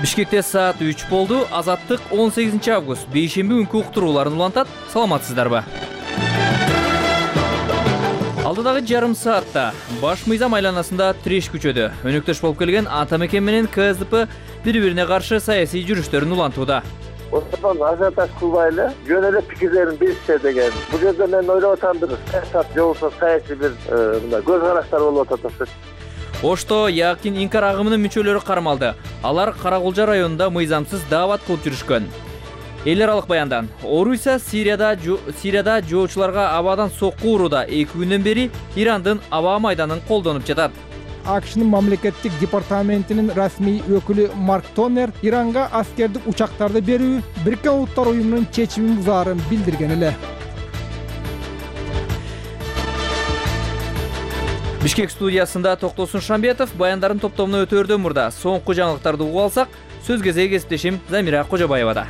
Бишкекте саат 3 болду. Азаттык 18 август бейшемби күнкү уктурууларын улантат. Саламатсыздарбы? Алдыдагы жарым саатта баш мыйзам айланасында треш күчөдү. Өнөктөш болуп келген ата мекен менен КСДП бири-бирине каршы саясий жүрүштөрүн улантууда. Ошондон ажиотаж кылбайлы, жөн эле пикирлерин билишсе деген. Бул жерде мен ойлоп атамдыр, саясат жолусу саясий бир мындай көз караштар болуп атат. Ошто Якин Инкар агымынын мүчөлөрү кармалды. Алар Каракулжа районунда мыйзамсыз даават кылып жүрүшкөн. Эл аралык баяндан. Орусия Сирияда жоочуларга абадан сокку урууда 2 күндөн бери Ирандын аба майданын колдонуп жатат. АКШнын мамлекеттик департаментинин расмий өкүлү Марк Тоннер Иранга аскердик учактарды берүү Бириккен Улуттар уюмунун чечимин бузаарын билдирген эле. Бишкек студиясында Токтосун Шамбетов баяндарын топтомуна өтөөрдөн мурда соңку жаңылыктарды угуп алсак, сөз кезеги кесиптешим Замира Кожобаевада.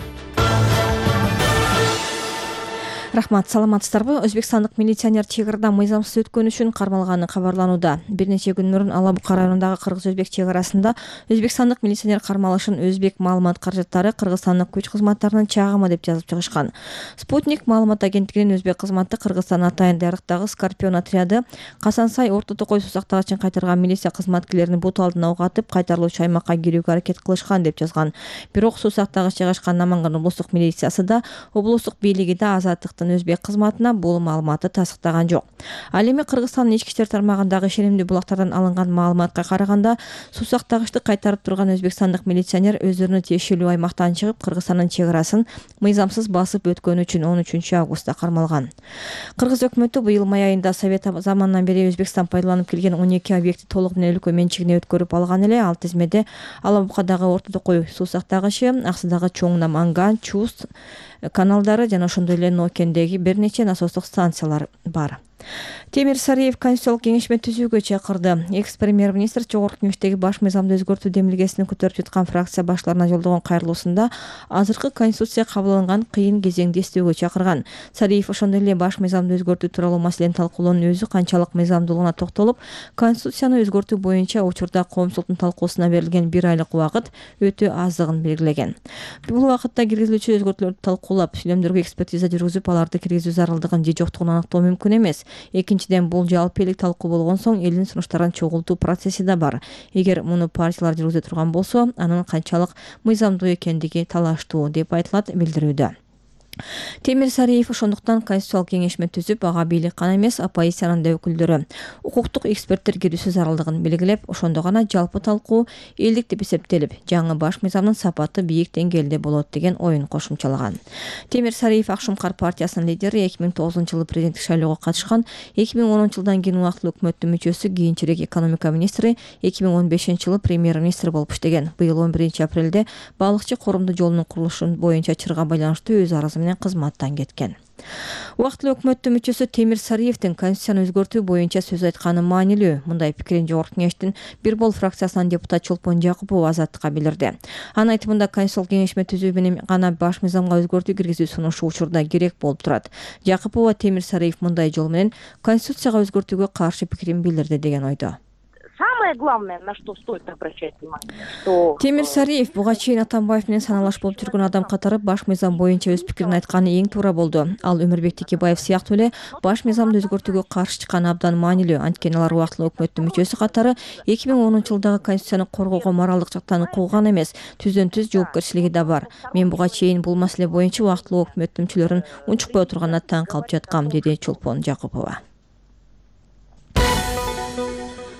Рахмат, саламатсыздарбы? Өзбекстандык милиционер чек арадан мыйзамсыз өткөнү үчүн кармалганы кабарланууда. Бир нече күн мурун Ала Бука районундагы кыргыз-өзбек чек арасында өзбекстандык милиционер кармалышын өзбек маалымат каражаттары Кыргызстандык күч кызматтарынын чагымы деп жазып чыгышкан. Спутник маалымат агенттигинин өзбек кызматы Кыргызстан Атайын Дарыктагы Скорпион отряды Касансай Орто Токой сусактагычын кайтарган милиция кызматкерлерин бут алдына угатып, кайтарылуучу аймакка кирүүгө аракет кылышкан деп жазган. Бирок сусактагыч жайгашкан Наманган облустук милициясы да, облустук бийлиги да Азаттыктын өзбек кызматына бул маалыматты тастыктаган жок. Ал эми Кыргызстандын ички иштер тармагындагы ишенимдүү булактардан алынган маалыматка караганда, сусактагычты кайтарып турган өзбекстандык милиционер өздөрүнүн тиешелүү аймактан чыгып, Кыргызстандын чек арасын мыйзамсыз басып өткөнү үчүн 13 августта кармалган. Кыргыз өкмөтү быйыл май айында Совет заманынан бери Өзбекстан пайдаланып келген 12 объекти толук менен өлкө менчигине өткөрүп алган эле. Ал тизмеде Ала Букадагы Орто Токой сусактагычы, Аксыдагы Чоң Наманган, Чуз каналдары жана ошондой эле Нокендеги бир нече насостук станциялар бар. Темир Сариев Конституциялык кеңешме түзүүгө чакырды. Экс-премьер-министр Жогорку Кеңештеги баш мыйзамды өзгөртүү демилгесин көтөрүп жаткан фракция башларына жолдогон кайрылуусунда азыркы конституция кабыл алынган кыйын кезеңди эстөөгө чакырган. Сариев ошондой эле баш мыйзамды өзгөртүү тууралуу маселени талкуулоонун өзү канчалык мыйзамдуулугуна токтолуп, конституцияны өзгөртүү боюнча учурда коомчулуктун талкуусуна берилген 1 айлык убакыт өтө аздыгын белгилеген. Бул убакытта киргизилүүчү өзгөртүүлөрдү талкуулап, сүйлөмдөргө экспертиза жүргүзүп, аларды киргизүү зарылдыгын же жоктугун аныктоо мүмкүн эмес. Экинчиден, бул жалпы элдик талкуу болгон соң элдин сунуштарын чогултуу процесси да бар. Эгер муну партиялар жүргүзө турган болсо, анын канчалык мыйзамдуу экендиги талаштуу деп айтылат билдирүүдө. Темир Сариев ошондуктан Конституциялык кеңешме түзүп, ага бийлик гана эмес, оппозициянын да өкүлдөрү, укуктук эксперттер кирүүсү зарылдыгын белгилеп, ошондо гана жалпы талкуу элдик деп эсептелип, жаңы баш мыйзамдын сапаты бийик деңгээлде болот деген оюн кошумчалаган. Темир Сариев Акшумкар партиясынын лидери 2009-жылы президенттик шайлоого катышкан, 2010-жылдан кийин убактылуу өкмөттүн мүчөсү, кийинчерээк экономика министри, 2015-жылы премьер-министр болуп иштеген. Быйыл 11-апрелде балыкчы коомдук жолунун курулушу боюнча чырга байланыштуу өз арызы менен кызматтан кеткен. Убактылуу өкмөттүн мүчөсү Темир Сариевдин конституцияны өзгөртүү боюнча сөз айтканы маанилүү. Мындай пикирин Жогорку Кеңештин бир бол фракциясынан депутат Чолпон Жакупова Азаттыкка билдирди. Анын айтымында Конституциялык кеңешме түзүү менен гана баш мыйзамга өзгөртүү киргизүү сунушу учурда керек болуп турат. Жакупова Темир Сариев мындай жол менен конституцияга өзгөртүүгө каршы пикирин билдирди деген ойдо. Самое главное, на что стоит обращать внимание, что Темир Сариев буга чейин Атамбаев менен саналаш болуп жүргөн адам катары баш мыйзам боюнча өз пикирин айтканы эң туура болду. Ал Өмүрбек Текебаев сыяктуу эле баш мыйзамды өзгөртүүгө каршы чыкканы абдан маанилүү. Анткени алар убактылуу өкмөттүн мүчөсү катары 2010-жылдагы конституцияны коргоого моралдык жактан укуган эмес, түздөн-түз жоопкерчилиги да бар. Мен буга чейин бул маселе боюнча убактылуу өкмөттүн мүчөлөрүн унчукпай отурганына таң калып жаткам, деди Чолпон Жакупова.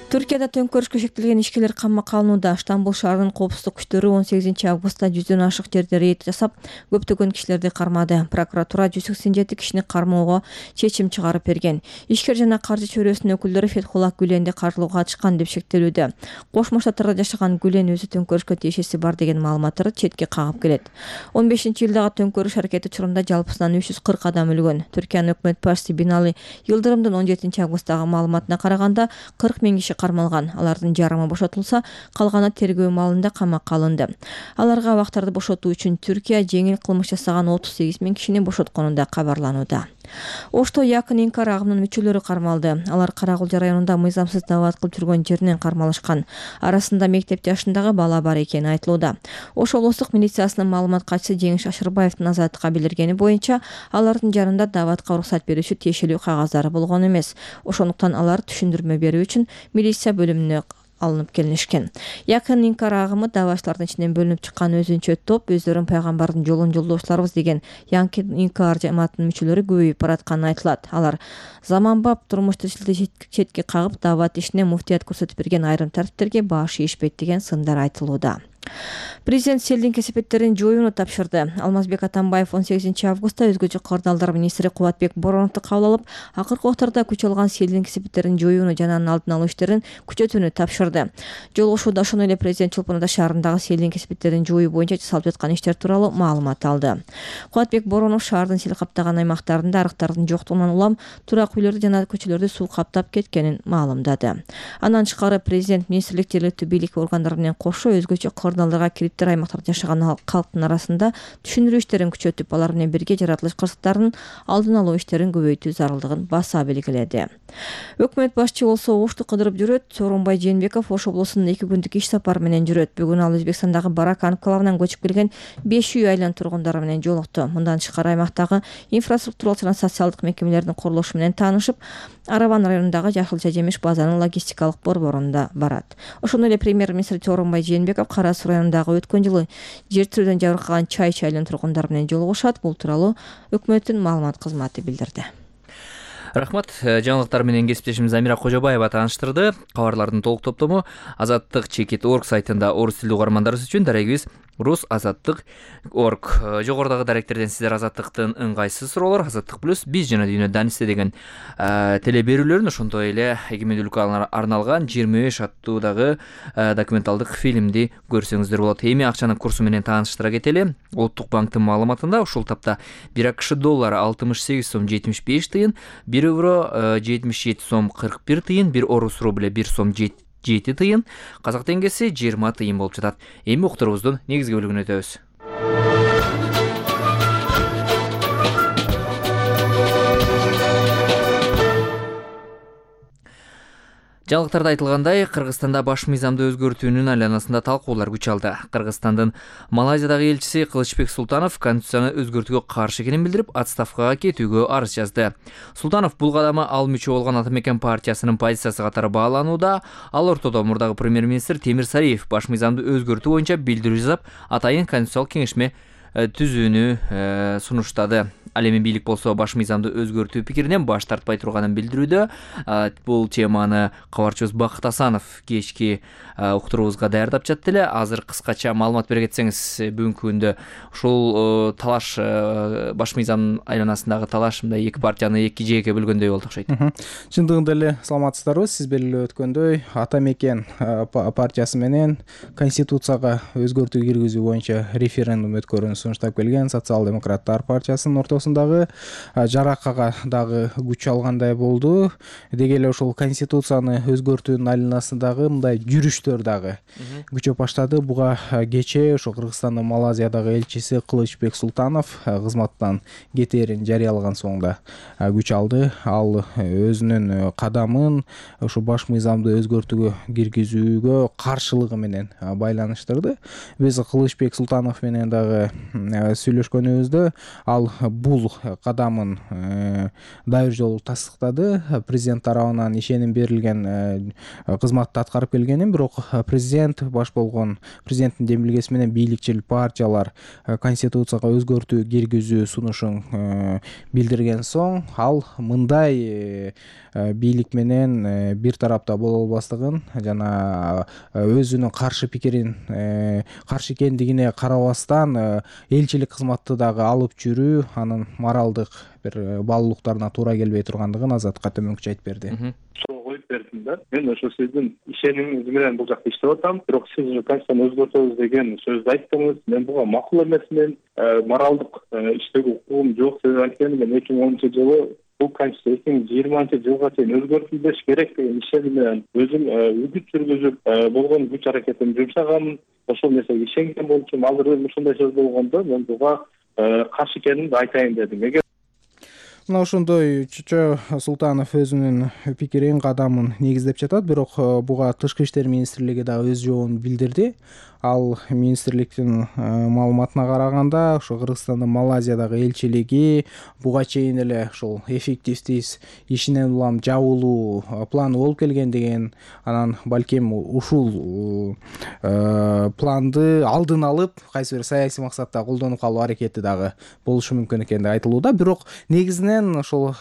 Түркияда төңкөрүшкө шектелген ишкерлер камакка алынууда. Стамбул шаарынын коопсуздук күчтөрү 18 августта 100дөн ашык жерде рейд жасап, көптөгөн кишилерди кармады. Прокуратура 187 кишини кармоого чечим чыгарып берген. Ишкер жана каржы чөйрөсүнүн өкүлдөрү Фетхулла Гүленди каржылоого катышкан деп шектелүүдө. Кошмо Штаттарда жашаган Гүлен өзү төңкөрүшкө тиешеси бар деген маалыматтарды четке кагып келет. 15-жылдагы төңкөрүш аракети учурунда жалпысынан 340 адам өлгөн. Түркиянын өкмөт башчысы Бинали Йылдырымдын 17 августтагы маалыматына караганда 40 000 киши кармалган. Алардын жарымы бошотулса, калганы тергөө маалында камакка алынды. Аларга абактарды бошотуу үчүн Түркия жеңил кылмыш жасаган 38 000 кишини бошоткону да кабарланууда. Ошто Якын Инкар агымынын мүчөлөрү кармалды. Алар Каракулча районунда мыйзамсыз даават кылып жүргөн жеринен кармалышкан. Арасында мектеп жашындагы бала бар экени айтылууда. Ош облустук милициясынын маалымат катчысы Жеңиш Ашырбаевдин Азаттыкка билдиргени боюнча, алардын жанында дааватка уруксат берүүчү тиешелүү кагаздары болгон эмес. Ошондуктан алар түшүндүрмө берүү үчүн милиция бөлүмүнө алынып келинишкен. Якын Инкар агымы даавачылардын ичинен бөлүнүп чыккан өзүнчө топ өздөрүн пайгамбардын жолун жолдоочуларбыз деген Якын Инкар жамаатынын мүчөлөрү көбөйүп баратканын айтылат. Алар заманбап турмуш тирчиликти четке кагып, даават ишине муфтият көрсөтүп берген айрым тартиптерге баш ийишпейт деген сындар айтылууда. Президент селдин кесепеттерин жоюуну тапшырды. Алмазбек Атамбаев 18 августта өзгөчө кырдаалдар министри Кубатбек Бороновду кабыл алып, акыркы убактарда күч алган селдин кесепеттерин жоюуну жана анын алдын алуу иштерин күчөтүүнү тапшырды. Жолугушууда ошондой эле президент Чолпон Ата шаарындагы селдин кесепеттерин жоюу боюнча жасалып жаткан иштер тууралуу маалымат алды. Кубатбек Боронов шаардын сел каптаган аймактарында арыктардын жоктугунан улам турак үйлөрдү жана көчөлөрдү суу каптап кеткенин маалымдады. Андан тышкары президент министрлик жергиликтүү бийлик органдары менен кошо өзгөчө кырдаалдарга кириптер аймактарда жашаган калктын арасында түшүндүрүү иштерин күчөтүп, алар менен бирге жаратылыш кырсыктарынын алдын алуу иштерин көбөйтүү зарылдыгын баса белгиледи. Өкмөт башчы болсо Ошто кыдырып жүрөт. Сооронбай Жээнбеков Ош облусунун 2 күндүк иш сапары менен жүрөт. Бүгүн ал Өзбекстандагы Барак анклавынан көчүп келген 5 үй айлан тургундары менен жолукту. Мындан тышкары аймактагы инфраструктуралык жана социалдык мекемелердин курулушу менен таанышып, Араван районундагы Жашылча жемиш базанын логистикалык борборуна барат. Ошондой эле премьер-министр Сооронбай Жээнбеков Кара Суу районундагы өткөн жылы жер тирүүдөн жабыркаган Чай айлан тургундары менен жолугушат. Бул тууралуу өкмөттүн маалымат кызматы билдирди. Рахмат. Жаңылыктар менен кесиптешим Замира Кожобаева тааныштырды. Кабарлардын толук топтому azattik.org сайтында орус тилдүү угармандарыбыз үчүн дарегибиз rus.azattik.org. Жогорудагы даректерден сиздер Азаттыктын ыңгайсыз суроолор, Азаттык плюс, биз жана дүйнө данисте деген теле берүүлөрүн, ошондой эле эгемендүүлүккө арналган 25 аттуудагы документалдык фильмди көрсөңүздөр болот. Эми акчанын курсу менен тааныштыра кетели. Улуттук банктын маалыматында ушул тапта 1 АКШ доллары 68 сом 75 тыйын, 1 евро 77 сом 41 тыйын, 1 орус рубль 1 сом 7 тыйын, казак теңгеси 20 тыйын болуп жатат. Эми уктурубуздун негизги бөлүгүнө өтөбүз. Жаңылыктарда айтылгандай, Кыргызстанда баш мыйзамды өзгөртүүнүн айланасында талкуулар күч алды. Кыргызстандын Малайзиядагы элчиси Кылычбек Султанов конституцияны өзгөртүүгө каршы экенин билдирип, отставкага кетүүгө арыз жазды. Султанов бул кадамы ал мүчө болгон Ата Мекен партиясынын позициясы катары бааланууда. Ал ортодо мурдагы премьер-министр Темир Сариев баш мыйзамды өзгөртүү боюнча билдирүү жасап, атайын конституциялык кеңешме түзүүнү сунуштады. Ал эми бийлик болсо баш мыйзамды өзгөртүү пикиринен баш тартпай турганын билдирүүдө. Бул теманы кабарчыбыз Бакыт Асанов кечки уктуруубузга даярдап жатты эле. Азыр кыскача маалымат бере кетсеңиз, бүгүнкү күндө ушул талаш, баш мыйзам айланасындагы талаш мындай эки партияны эки жээкке бөлгөндөй болду окшойт. Чындыгында эле саламатсыздарбы? Сиз белгилеп өткөндөй, Ата Мекен партиясы менен конституцияга өзгөртүү киргизүү боюнча референдум өткөрүүнү сунуштап келген Социал-демократтар партиясынын ортосундагы жаракага дагы күч алгандай болду. Деги эле ошол конституцияны өзгөртүүнүн айланасындагы мындай жүрүштөр дагы күчөп баштады. Буга кечээ ошо Кыргызстандын Малайзиядагы элчиси Кылычбек Султанов кызматтан кетээрин жарыялаган соңда күч алды. Ал өзүнүн кадамын ошо баш мыйзамды өзгөртүүгө киргизүүгө каршылыгы менен байланыштырды. Биз Кылычбек Султанов менен дагы сүйлөшкөнүбүздө ал бул кадамын дайыр жолу тастыктады. Президент тарабынан ишеним берилген кызматты аткарып келгенин, бирок президент баш болгон президенттин демилгеси менен бийликчил партиялар конституцияга өзгөртүү киргизүү сунушун билдирген соң, ал мындай бийлик менен бир тарапта боло албастыгын жана өзүнүн каршы пикирин каршы экендигине карабастан элчилик кызматты дагы алып жүрүү анын моралдык бир баалуулуктарына туура келбей тургандыгын Азатка төмөнкүчө айтып берди. Суу коюп бердим да. Мен ошо сиздин ишенимиңиз менен бул жакта иштеп атам. Бирок сиз конституцияны өзгөртөбүз деген сөздү айттыңыз. Мен буга макул эмесмин. Моралдык иштөөгө укугум жок. Себеби анткени мен 2010-жылы бул конституция 2020-жылга чейин өзгөртүлбеш керек деген ишеним менен өзүм үгүт жүргүзүп болгон күч аракетимди жумшаганмын. Ошол нерсеге ишенген болчумун. Азыр ушундай сөз болгондо мен буга каршы экенимди айтайын дедим. Мына ошондой Чочо Султанов өзүнүн пикирин, кадамын негиздеп жатат, бирок буга Тышкы иштер министрлиги дагы өз жообун билдирди. Ал министрликтин маалыматына караганда, ошо Кыргызстандын Малайзиядагы элчилиги буга чейин эле ушул эффективсиз ишинен улам жабылуу планы болуп келген деген, анан балким ушул планды алдын алып кайсы бир саясий максатта колдонуп калуу аракети дагы болушу мүмкүн экендиги айтылууда. Бирок негизинен ошол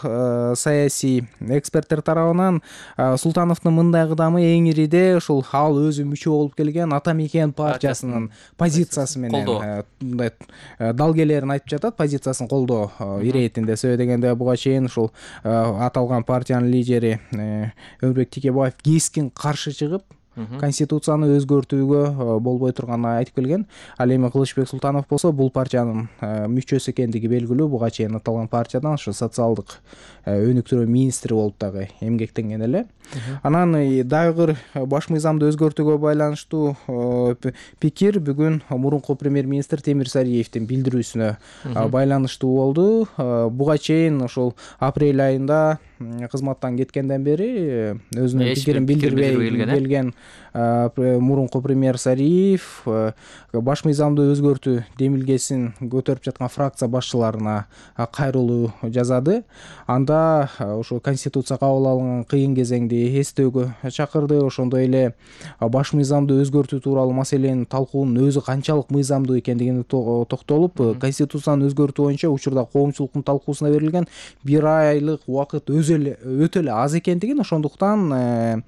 саясий эксперттер тарабынан Султановдун мындай кыдамы эң ириде ушул ал өзү мүчө болуп келген Ата Мекен партиясынын позициясы менен мындай далгелерин айтып жатат, позициясын колдоо иретинде. Себеби дегенде буга чейин ушул аталган партиянын лидери Өмүрбек Текебаев кескин каршы чыгып, конституцияны өзгөртүүгө болбой турганын айтып келген. Ал эми Кылычбек Султанов болсо бул партиянын мүчөсү экендиги белгилүү. Буга чейин аталган партиядан ошо социалдык өнүктүрүү министри болуп дагы эмгектенген эле. Анан дагы баш мыйзамды өзгөртүүгө байланыштуу пикир бүгүн мурунку премьер-министр Темир Сариевдин билдирүүсүнө байланыштуу болду. Буга чейин ошол апрель айында кызматтан кеткенден бери өзүнүн пикирин билдирбей келген мурунку премьер Сариев баш мыйзамды өзгөртүү демилгесин көтөрүп жаткан фракция башчыларына кайрылуу жазады. Анда ошо конституция кабыл алынган кыйын кезеңди эстөөгө чакырды. Ошондой эле баш мыйзамды өзгөртүү тууралуу маселенин талкуунун өзү канчалык мыйзамдуу экендигине токтолуп, конституцияны өзгөртүү боюнча учурда коомчулуктун талкуусуна берилген 1 айлык убакыт өтө эле аз экендигин, ошондуктан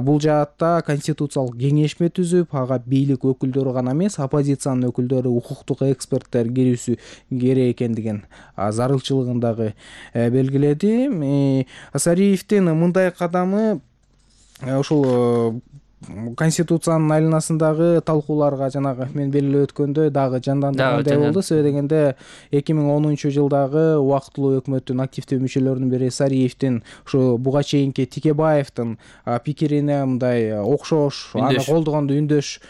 бул жаатта конституциялык кеңешме түзүп, ага бийлик өкүлдөрү гана эмес, оппозициянын өкүлдөрү, укуктук эксперттер кирүүсү керек экендигин зарылчылыгын дагы белгиледи. Сариевдин мындай кадамы ушул конституциянын айланасындагы талкууларга жанагы мен белгилеп өткөндөй дагы жандандыргандай болду. Себеби дегенде 2010-жылдагы убактылуу өкмөттүн активдүү мүчөлөрүнүн бири Сариевдин ушу буга чейинки Текебаевдин пикирине мындай окшош, аны колдогондо үндөш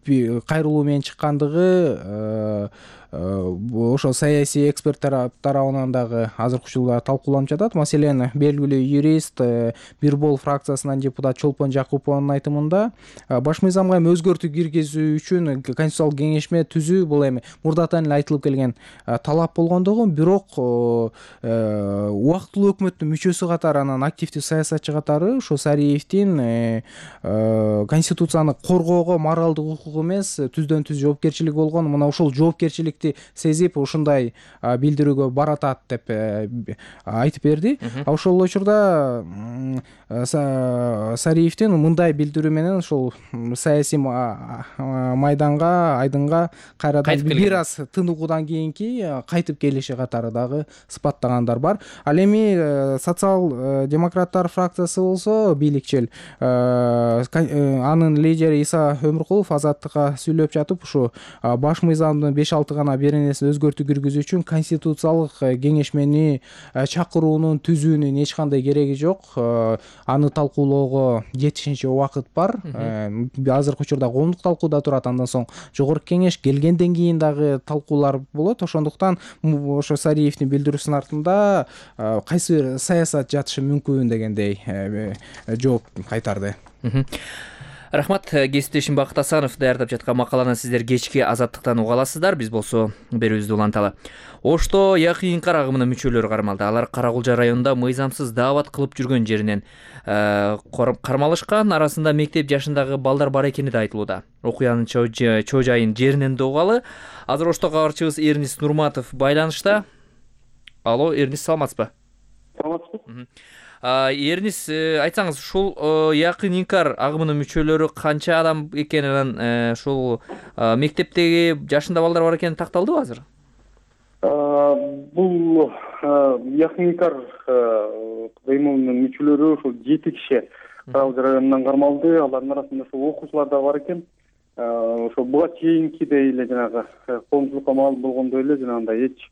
кайрылуу менен чыккандыгы ошо саясий эксперттер тарабынан дагы азыркы учурда талкууланып жатат. Маселен, белгилүү юрист, Бирбол фракциясынан депутат Чолпон Жакупованын айтымында баш мыйзамга эми өзгөртүү киргизүү үчүн конституциялык кеңешме түзүү бул эми мурдатан эле айтылып келген талап болгондугу, бирок убактылуу өкмөттүн мүчөсү катары, анан активдүү саясатчы катары ошо Сариевдин конституцияны коргоого моралдык укугу эмес, түздөн түз жоопкерчилиги болгон. Мына ушул жоопкерчилик сезип ушундай билдирүүгө баратат деп айтып берди. Ошол учурда Сариевдин мындай билдирүү менен ушул саясий майданга, айдынга кайрадан бир аз тыныгуудан кийинки кайтып келиши катары дагы сыпаттагандар бар. Ал эми социал-демократтар фракциясы болсо бийликчил, анын лидери Иса Өмүркулов Азаттыкка сүйлөп жатып, ушу баш мыйзамдын 5-6 гана бир нерсе өзгөртүү киргизүү үчүн конституциялык кеңешмени чакыруунун, түзүүнүн эч кандай кереги жок. Аны талкуулоого жетишинче убакыт бар. Азыркы учурда коомдук талкууда турат, андан соң жогорку кеңеш келгенден кийин дагы талкуулар болот. Ошондуктан ошо Сариевдин билдирүүсүнүн артында кайсы бир саясат жатышы мүмкүн дегендей жооп кайтарды. Рахмат, кесиптешим Бакыт Асанов даярдап жаткан макаланы сиздер кечки Азаттыктан уга аласыздар. Биз болсо берүүбүздү уланталы. Ошто Якын Инкар агымынын мүчөлөрү кармалды. Алар Кара Кулжа районунда мыйзамсыз даават кылып жүргөн жеринен кармалышкан. Арасында мектеп жашындагы балдар бар экени да айтылууда. Окуянын чоо жайын жеринен да угалы. Азыр ошто кабарчыбыз Эрнис Нурматов байланышта. Алло, Эрнис, саламатсызбы? Саламатсызбы. Эрнис, айтсаңыз, ушул Якын Инкар агымынын мүчөлөрү канча адам экенин, ушул мектептеги жашында балдар бар экени такталдыбы азыр? Бул Якын Инкар кыймылынын мүчөлөрү ушул 7 киши Кара Кулжа районунан кармалды. Алардын арасында ушул окуучулар да бар экен. Ошо буга чейинкидей эле жанагы коомчулукка маалым болгондой эле жанагындай эч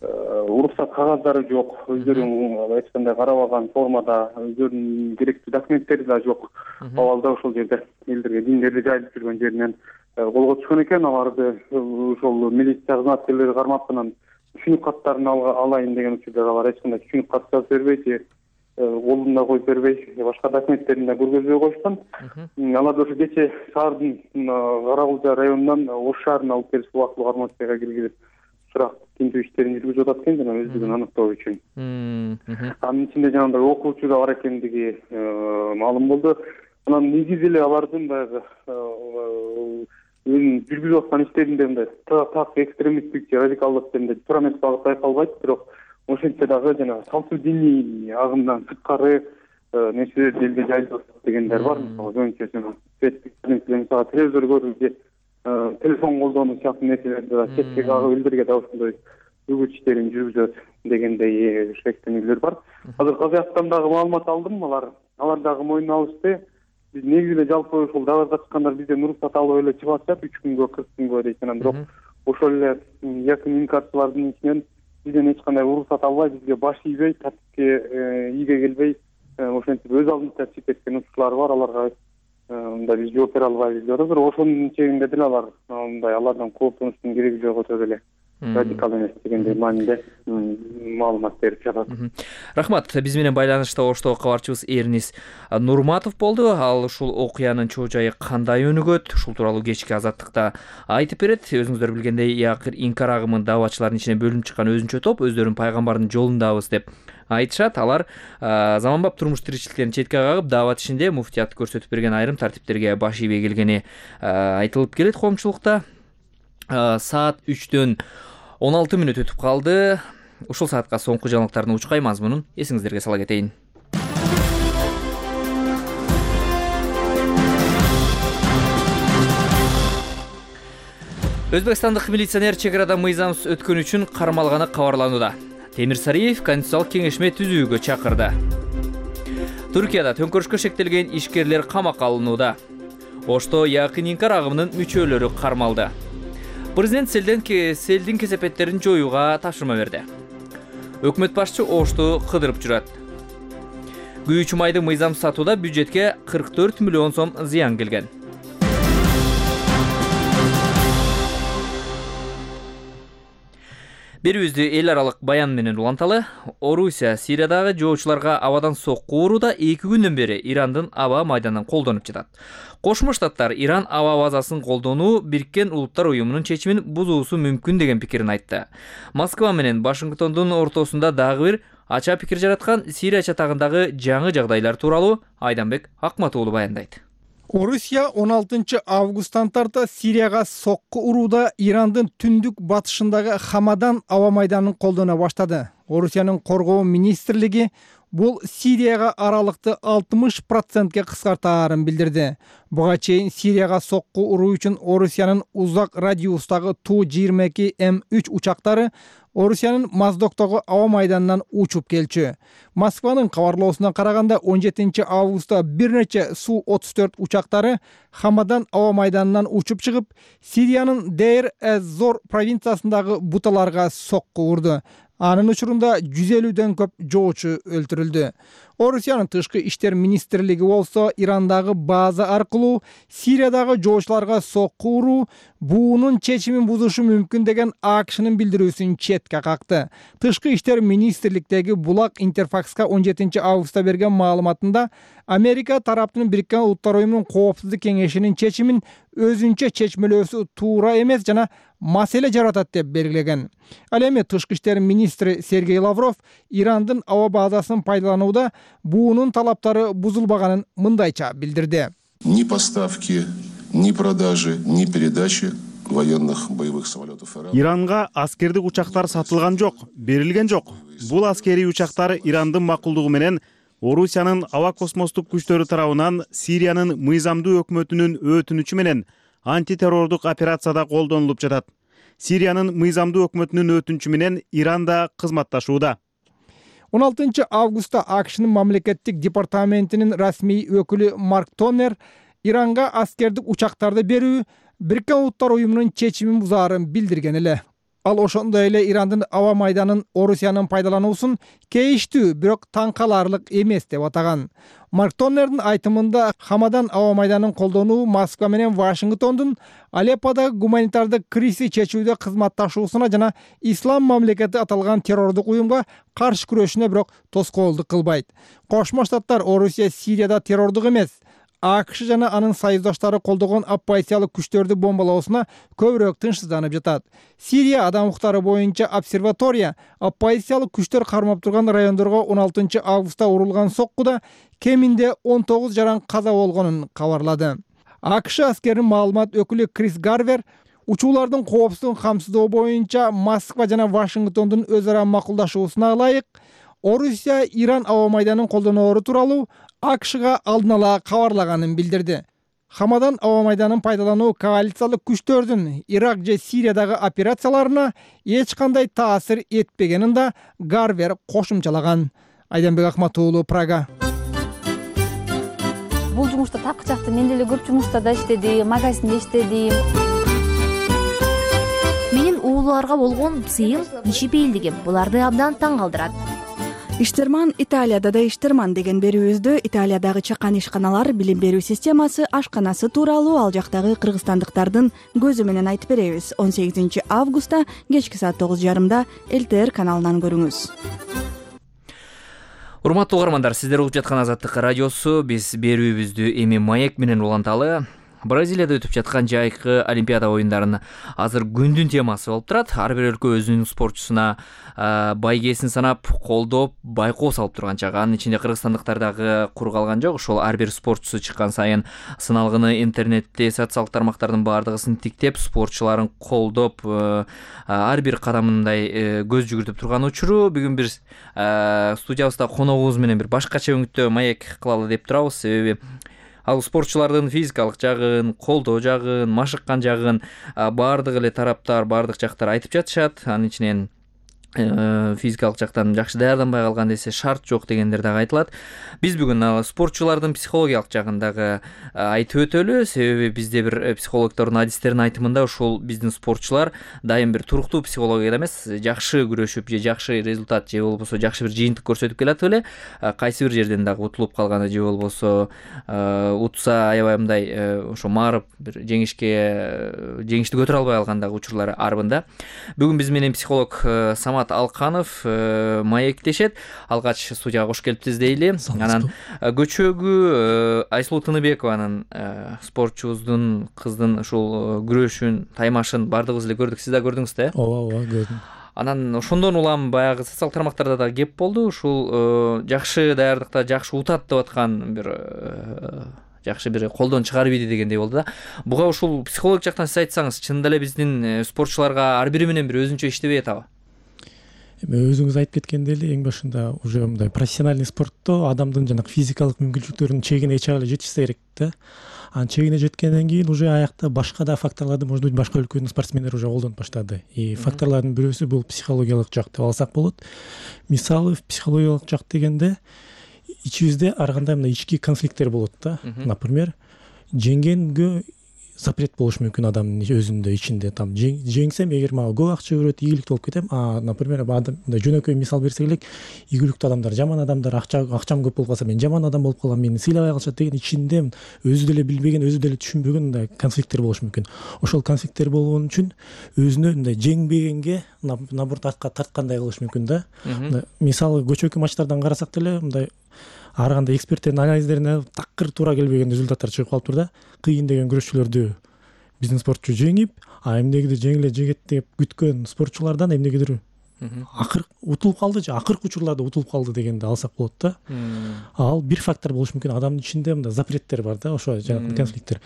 уруксат кагаздары жок, өздөрүн айткандай карабаган формада, өздөрүнүн керектүү документтери да жок. Абалда ошол жерде элдерге диндерди жайылып жүргөн жеринен колго түшкөн экен. Аларды ошол милиция кызматкерлери кармап анан түшүнүк каттарын алайын деген учурда алар эч кандай түшүнүк кат жазып бербейт, колун да коюп бербей, башка документтерин да көргөзбөй койушкан. Алар ошо кече шаардын Каракулча районунан Ош шаарына алып келип убактылуу кармоочтойго киргизип сурак тинтүү иштерин жүргүзүп атат экен жана өздүгүн аныктоо үчүн. Анын ичинде жанагындай окуучу да бар экендиги маалым болду. Анан негизи эле алардын баягы жүргүзүп аткан иштеринде мындай так экстремисттик же радикалдык дегенде туура эмес багыт байкалбайт, бирок ошентсе дагы жанагы салттуу диний агымдан сырткары нерселерди элге жайылып атат дегендер бар. Мисалы жана телевизор көрүү же телефон колдонуу сыяктуу нерселерди да четке кагып элдерге да ошондой үгүт иштерин жүргүзөт дегендей шектенүүлөр бар. Азыр Казакстан дагы маалымат алдым, алар дагы мойнуна алышты. Биз негизи эле жалпы ушул даварга чыккандар бизден уруксат алып эле чыгып атышат 3 күнгө 40 күнгө дейт. Анан бирок ошол эле якын инкарцылардын ичинен бизден эч кандай уруксат албай, бизге баш ийбей, тартипке ийге келбей, ошентип өз алдынча чыгып кеткен учурлар бар. Аларга мындай биз жооп бере албайбыз деп атат. Бирок ошонун чегинде деле алар мындай алардан кооптонуштун кереги жок, өтө эле радикал эмес дегендей мааниде маалымат берип жатат. Рахмат. Биз менен байланышта Оштогу кабарчыбыз Эрнис Нурматов болду. Ал ушул окуянын чоо жайы кандай өнүгөт, ушул тууралуу кечки Азаттыкта айтып берет. Өзүңүздөр билгендей, Якыр инкар агымын дааватчылардын ичинен бөлүнүп чыккан өзүнчө топ өздөрүн пайгамбардын жолундабыз деп айтышат. Алар заманбап турмуш тиричиликтерин четке кагып, даават ишинде муфтият көрсөтүп берген айрым тартиптерге баш ийбей келгени айтылып келет коомчулукта. Саат 3-төн 16 мүнөт өтүп калды. Ушул саатка соңку жаңылыктардын учкай мазмунун эсиңиздерге сала кетейин. Өзбекстандык милиционер чек арада мыйзамсыз өткөн үчүн кармалганы кабарланууда. Темир Сариев конституциялык кеңешме түзүүгө чакырды. Түркияда төңкөрүшкө шектелген ишкерлер камакка алынууда. Ошто якын инкар агымынын мүчөлөрү кармалды. Президент селдин кесепеттерин жоюуга тапшырма берди. Өкмөт башчы Ошту кыдырып жүрөт. Күйүүчү майды мыйзамсыз сатууда бюджетке 44 миллион сом зыян келген. Берүүбүздү эл аралык баян менен уланталы. Орусия Сириядагы жоочуларга абадан сокку урууда 2 күндөн бери Ирандын аба майданын колдонуп жатат. Кошмо Штаттар Иран аба базасын колдонуу Бириккен Улуттар уюмунун чечимин бузуусу мүмкүн деген пикирин айтты. Москва менен Вашингтондун ортосунда дагы бир ача пикир жараткан Сирия чатагындагы жаңы жагдайлар тууралуу Айданбек Акмат уулу баяндайт. Орусия 16 августтан тарта Сирияга сокку урууда Ирандын түндүк батышындагы Хамадан аба майданын колдона баштады. Орусиянын коргоо министрлиги бул Сирияга аралыкты 60%ке кыскартаарын билдирди. Буга чейин Сирияга сокку уруу үчүн Орусиянын узак радиустагы Ту-22 М3 учактары Орусиянын Моздоктогу аба майданынан учуп келчү. Москванын кабарлоосуна караганда 17 августта бир нече Су-34 учактары Хамадан аба майданынан учуп чыгып, Сириянын Дейр-эз-Зор провинциясындагы буталарга сокку урду. Анын учурунда 150дөн көп жоочу өлтүрүлдү. Орусиянын тышкы иштер министрлиги болсо Ирандагы база аркылуу Сириядагы жоочуларга сокку уруу буунун чечимин бузушу мүмкүн деген АКШнын билдирүүсүн четке какты. Тышкы иштер министрликтеги Булак Интерфакска 17 августта берген маалыматында Америка тараптын Бириккен Улуттар уюмунун коопсуздук кеңешинин чечимин өзүнчө чечмелөөсү туура эмес жана маселе жаратат деп белгилеген. Ал эми тышкы иштер министри Сергей Лавров Ирандын аба базасын пайдаланууда буунун талаптары бузулбаганын мындайча билдирди. Ни поставки, ни продажи, ни передачи военных боевых самолетов Ирана. Иранга аскердик учактар сатылган жок, берилген жок. Бул аскерий учактар Ирандын макулдугу менен Орусиянын аба космостук күчтөрү тарабынан Сириянын мыйзамдуу өкмөтүнүн өтүнүчү менен антитеррордук операцияда колдонулуп жатат. Сириянын мыйзамдуу өкмөтүнүн өтүнүчү менен Иранда кызматташууда. 16 августта АКШнын мамлекеттик департаментинин расмий өкүлү Марк Тоннер Иранга аскердик учактарды берүү Бириккен Улуттар уюмунун чечимин бузаарын билдирген эле. Ал ошондой эле Ирандын аба майданын Орусиянын пайдалануусун кейиштүү, бирок таң каларлык эмес деп атаган. Марк Тоннердин айтымында Хамадан аба майданын колдонуу Москва менен Вашингтондун Алепподогу гуманитардык кризисти чечүүдө кызматташуусуна жана Ислам мамлекети аталган террордук уюмга каршы күрөшүнө бирок тоскоолдук кылбайт. Кошмо Штаттар Орусия Сирияда террордук эмес, АКШ жана анын союздаштары колдогон оппозициялык күчтөрдү бомбалоосуна көбүрөөк тынчсызданып жатат. Сирия адам укуктары боюнча обсерватория оппозициялык күчтөр кармап турган райондорго 16 августта урулган соккуда кеминде 19 жаран каза болгонун кабарлады. АКШ аскеринин маалымат өкүлү Крис Гарвер учуулардын коопсуздугун камсыздоо боюнча Москва жана Вашингтондун өз ара макулдашуусуна ылайык Орусия Иран аба майданын колдоноору тууралуу АКШга алдын ала кабарлаганын билдирди. Хамадан аба майданын пайдалануу коалициялык күчтөрдүн Ирак же Сириядагы операцияларына эч кандай таасир этпегенин да Гарвер кошумчалаган. Айданбек Акматуулу, Прага. Бул жумушта тапкычакты мен деле көп жумушта да иштедим, магазинде иштедим. Менин ууларга болгон сыйым, иши бейилдигим буларды абдан таң калтырат. Иштерман Италияда да иштерман деген берүүбүздө Италиядагы чакан ишканалар билим берүү системасы ашканасы тууралуу ал жактагы кыргызстандыктардын көзү менен айтып беребиз. 18 августта кечки саат 9:30 ЛТР каналынан көрүңүз. Урматтуу угармандар, сиздер угуп жаткан Азаттык радиосу. Биз берүүбүздү эми маек менен уланталы. Бразилияда өтүп жаткан жайкы Олимпиада оюндарынын азыр күндүн темасы болуп турат. Ар бир өлкө өзүнүн спортчусуна байгесин санап, колдоп, байкоо салып турган чагы. Анын ичинде кыргызстандыктар дагы кур калган жок. Ошол ар бир спортчусу чыккан сайын сыналгыны интернетте, социалдык тармактардын баардыгысын тиктеп, спортчуларын колдоп, ар бир кадамындай көз жүгүртүп турган учуру. Бүгүн биз студиябызда коногубуз менен бир башкача өңүттө маек кылалы деп турабыз. Себеби ал спортчулардын физикалык жагын, колдоо жагын, машыккан жагын баардык эле тараптар, баардык жактар айтып жатышат. Анын ичинен физикалык жактан жакшы даярданбай калган десе шарт жок дегендер дагы айтылат. Биз бүгүн спортчулардын психологиялык жагын дагы айтып өтөлү. Себеби бизде бир психологдордун адистеринин айтымында ушул биздин спортчулар дайым бир туруктуу психологияда эмес, жакшы күрөшүп же жакшы результат же болбосо жакшы бир жыйынтык көрсөтүп келатып эле кайсы бир жерден дагы утулуп калганы же болбосо утса аябай мындай ошо маарып бир жеңишти көтөрө албай калган дагы учурлар арбында. Бүгүн биз менен психолог Самат Алканов маектешет. Алгач студияга кош келиптиз дейли. Анан көчөгү Айсулуу Тыныбекованын спортчубуздун кыздын ушул күрөшүн, таймашын баардыгыбыз эле көрдүк. Сиз да көрдүңүз да? Ооба, көрдүм. Анан ошондон улам баягы социалдык тармактарда да кеп болду. Ушул жакшы даярдыкта жакшы утат деп аткан бир жакшы бир колдон чыгарып ийди дегендей болду да. Буга ушул психологик жактан сиз айтсаңыз, чынында эле биздин спортчуларга ар бири менен бир өзүнчө иштебей атабы? Өзүңүз айтып кеткендей эле эң башында уже мындай профессиональный спортто адамдын жанагы физикалык мүмкүнчүлүктөрүнүн чегине чыга эле жетишсе керек да. Анын чегине жеткенден кийин уже аякта башка да факторлорду, может быть, башка өлкөнүн спортсмендери уже колдонуп баштады. И факторлордун бирөөсү бул психологиялык жак деп алсак болот. Мисалы, психологиялык жак дегенде ичибизде ар кандай мындай ички конфликттер болот да. Например, жеңгенге запрет болуш мүмкүн адамдын өзүндө ичинде. Там жеңсем, эгер мага көп акча берет, ийгиликтүү болуп кетем. Например, адам жөнөкөй мисал берсек элек, ийгиликтүү адамдар, жаман адамдар, акчам көп болуп калса, мен жаман адам болуп калам, мени сыйлабай калышат деген ичинде өзү деле билбеген, өзү деле түшүнбөгөн мындай конфликттер болуш мүмкүн. Ошол конфликттер болгон үчүн өзүнө мындай жеңбегенге наоборот артка тарткандай кылыш мүмкүн да. Мисалы көчөкү матчтардан карасак деле мындай ар кандай эксперттердин анализдерине такыр туура келбеген результаттар чыгып калыптыр да. Кыйын деген күрөшчүлөрдү биздин спортчу жеңип, эмнегедир жеңиле жегет деп күткөн спортчулардан эмнегедир акыркы утулуп калды же акыркы учурларда утулуп калды дегенди алсак болот да. Ал бир фактор болуш мүмкүн. Адамдын ичинде мындай запреттер бар да, ошо жанагы конфликттер.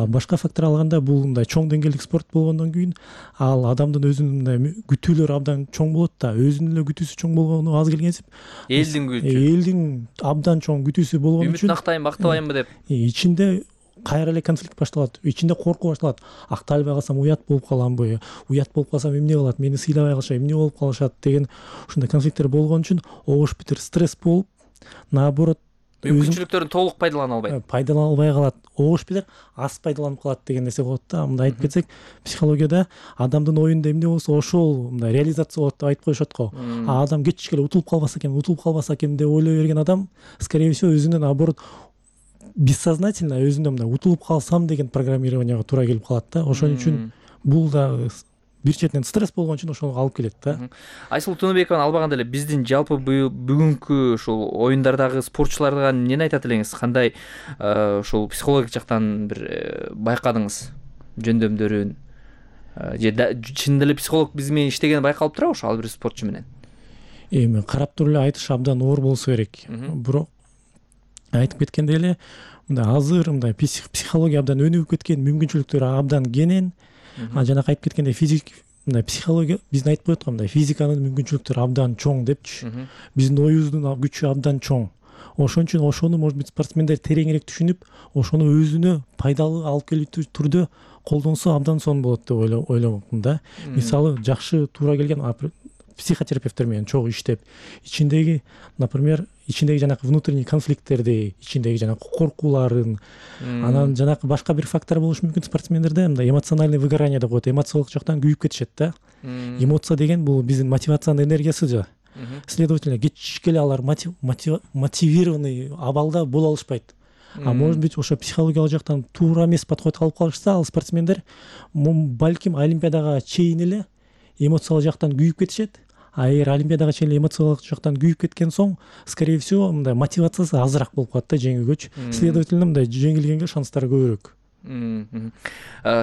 Башка фактор алганда бул мындай чоң деңгээлдик спорт болгондон кийин ал адамдын өзүнүн мындай күтүүлөрү абдан чоң болот да. Өзүнүн эле күтүүсү чоң болгону аз келгенсип, элдин абдан чоң күтүүсү болгон үчүн үмүт актайын, актабайынбы деп ичинде кайра эле конфликт башталат, ичинде коркуу башталат. Акталбай калсам уят болуп каламбы, уят болуп калсам эмне кылат, мени сыйлабай калышат, эмне болуп калышат деген ушундай конфликттер болгон үчүн обуш битер стресс болуп, наоборот мүмкүнчүлүктөрүн толук пайдалана албайт. Пайдалана албай калат, огуш билер аз пайдаланып калат деген нерсе болот да. Мындай айтып кетсек, психологияда адамдын оюнда эмне болсо ошол мындай реализация болот деп айтып коюшат го. Адам кечичке эле утулуп калбаса экен деп ойлой берген адам, скорее всего, өзүнөн наоборот бессознательно өзүнө мындай утулуп калсам деген программированияга туура келип калат да. Ошон үчүн бул да бир четинен стресс болгон үчүн ошого алып келет да. Айсулуу Тыныбекова албаганда эле биздин жалпы бүгүнкү ушул оюндардагы спортчуларга эмнени айтат элеңиз? Кандай ушул психологик жактан бир байкадыңыз жөндөмдөрүн? Же чындап эле психолог биз менен иштегени байкалып турабы ошо ар бир спортчу менен? Эми карап туруп эле айтыш абдан оор болсо керек. Бирок айтып кеткендей эле мындай азыр мындай психология абдан өнүгүп кеткен, мүмкүнчүлүктөрү абдан кенен. Жанагы айтып кеткендей мындай психология биздин айтып коет го, мындай физиканын мүмкүнчүлүктөрү абдан чоң депчи. Биздин оюбуздун күчү абдан чоң. Ошон үчүн ошону может быть спортсмендер тереңирээк түшүнүп, ошону өзүнө пайдалуу алып келүү түрдө колдонсо абдан сонун болот деп ойлойм да. Мисалы жакшы туура келген психотерапевттер менен чогуу иштеп, например, ичиндеги жанакы внутренний конфликттерди, ичиндеги жанакы коркууларын, анан жанакы башка бир фактор болушу мүмкүн спортсмендерде, мындай эмоциональный выгорание деп коет, эмоциялык жактан күйүп кетишет да. Эмоция деген бул биздин мотивациянын энергиясы да. Следовательно, кечичке эле алар мотивированный абалда боло алышпайт. Может быть, ошо психологиялык жактан туура эмес подход алып калышса, ал спортсмендер балким олимпиадага чейин эле эмоциялык жактан күйүп кетишет. Эгер олимпиадага чейин эмоциялык жактан күйүп кеткен соң, скорее всего, мындай мотивациясы азыраак болуп калат да жеңүүгөчү. Следовательно, мындай жеңилгенге шанстары көбүрөөк.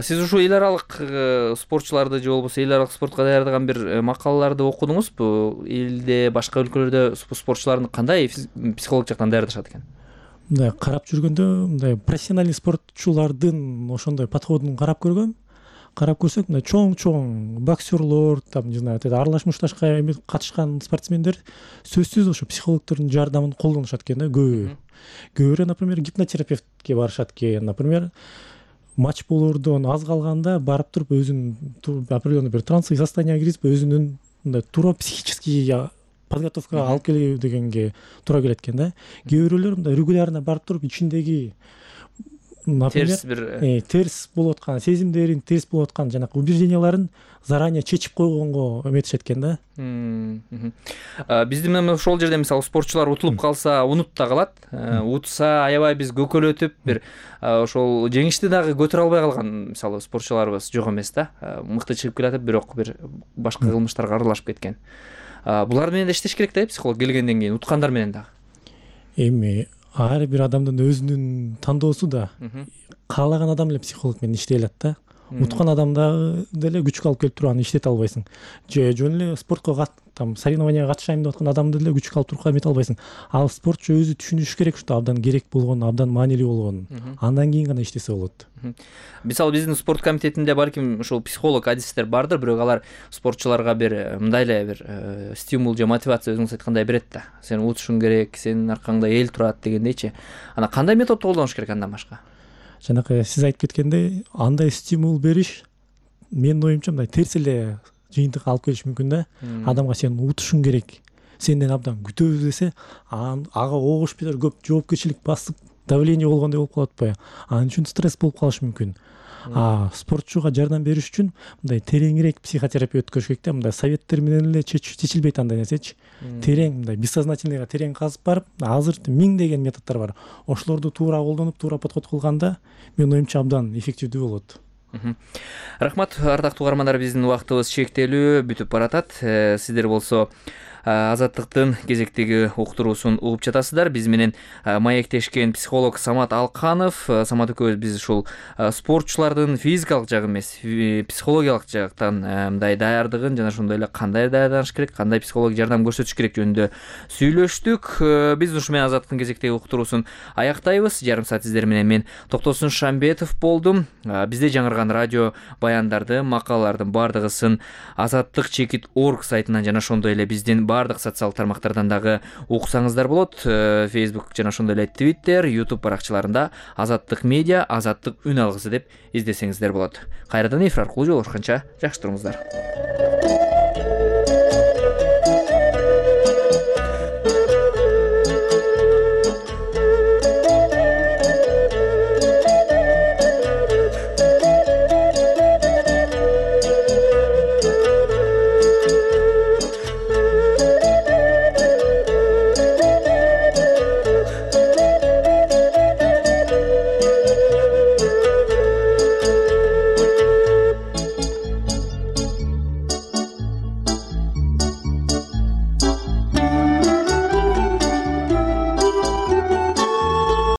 Сиз ушул эл аралык спортчуларды же болбосо эл аралык спортко даярдаган бир макалаларды окудуңузбу? Элде, башка өлкөлөрдө спортчуларды кандай психолог жактан даярдашат экен? Мындай карап жүргөндө, мындай профессиональный спортчулардын ошондой подходун карап көргөм. Карап көрсөк, мындай чоң боксерлор, там, не знаю, аралаш мушташка катышкан спортсмендер сөзсүз ошо психологдордун жардамын колдонушат экен да, көбүрөөк, например, гипнотерапевтке барышат экен, например, матч болоордон аз калганда барып туруп өзүн определенный бир трансовый состоянияга кирип өзүнүн мындай туура психический подготовкага алып келүү дегенге туура келет экен да. Кээ бирөөлөр мындай регулярно барып туруп ичиндеги например терс болуп аткан сезимдерин, терс болуп аткан жанакы убежденияларын заранее чечип койгонго эметишет экен да. Биздин менен ошол жерде мисалы спортчулар утулуп калса унут да калат. Утса аябай биз көкөлөтүп бир ошол жеңишти дагы көтөрө албай калган мисалы спортчуларыбыз жок эмес да. Мыкты чыгып келатып, бирок бир башка кылмыштарга аралашып кеткен. Булар менен да иштеш керек да, психолог келгенден кийин уткандар менен дагы. Эми ар бир адамдын өзүнүн тандоосу да. Каалаган адам эле психолог менен иштей алат да. Уткан адамда деле күчкө алып келип туруп аны иштете албайсың. Же жөн эле спортко там соревнованияга катышайм деп аткан адамды деле күчкө алып туруп эмете албайсың. Ал спортчу өзү түшүнүшү керек, что абдан керек болгонун, абдан маанилүү болгонун. Андан кийин гана иштесе болот. Мисалы биздин спорт комитетинде балким ушул психолог, адистер бардыр, бирок алар спортчуларга бир мындай эле бир стимул же мотивация өзүңүз айткандай берет да. Сен утушуң керек, сенин аркаңда эл турат дегендейчи. Ана кандай методду колдонуш керек андан башка? Жанакы сиз айтып кеткендей, андай стимул бериш менин оюмча мындай терс эле жыйынтыкка алып келиш мүмкүн да. Адамга сен утушуң керек, сенден абдан күтөбүз десе, ага огуш менен көп жоопкерчилик басып, давление болгондой болуп калат атпайбы? Анын үчүн стресс болуп калышы мүмкүн. Спортчуга жардам бериш үчүн мындай тереңирээк психотерапия өткөрүш керек да. Мындай советтер менен эле чечилбейт андай нерсечи. Терең, мындай бессознательныйга терең казып барып, азыр миңдеген методдор бар. Ошолорду туура колдонуп, туура подход кылганда, менин оюмча абдан эффективдүү болот. Рахмат, ардактуу угармандар, биздин убактыбыз чектелүү, бүтүп баратат. Сиздер болсо Азаттыктын кезектеги уктуруусун угуп жатасыздар. Биз менен маектешкен психолог Самат Алканов. Самат экөөбүз биз ушул спортчулардын физикалык жагы эмес, психологиялык жактан мындай даярдыгын жана ошондой эле кандай даярданыш керек, кандай психологик жардам көрсөтүш керек жөнүндө сүйлөштүк. Биз ушу менен Азаттыктын кезектеги уктуруусун аяктайбыз. Жарым саат сиздер менен мен Токтосун Шамбетов болдум. Бизде жаңырган радио баяндарды, макалалардын бардыгысын azatlyk.org сайтынан жана ошондой эле биздин бардык социалдык тармактардан дагы уксаңыздар болот. Facebook жана ошондой эле Twitter, YouTube баракчаларында Азаттык медиа, Азаттык үн алгысы деп издесеңиздер болот. Кайрадан эфир аркылуу жолугушканча жакшы туруңуздар.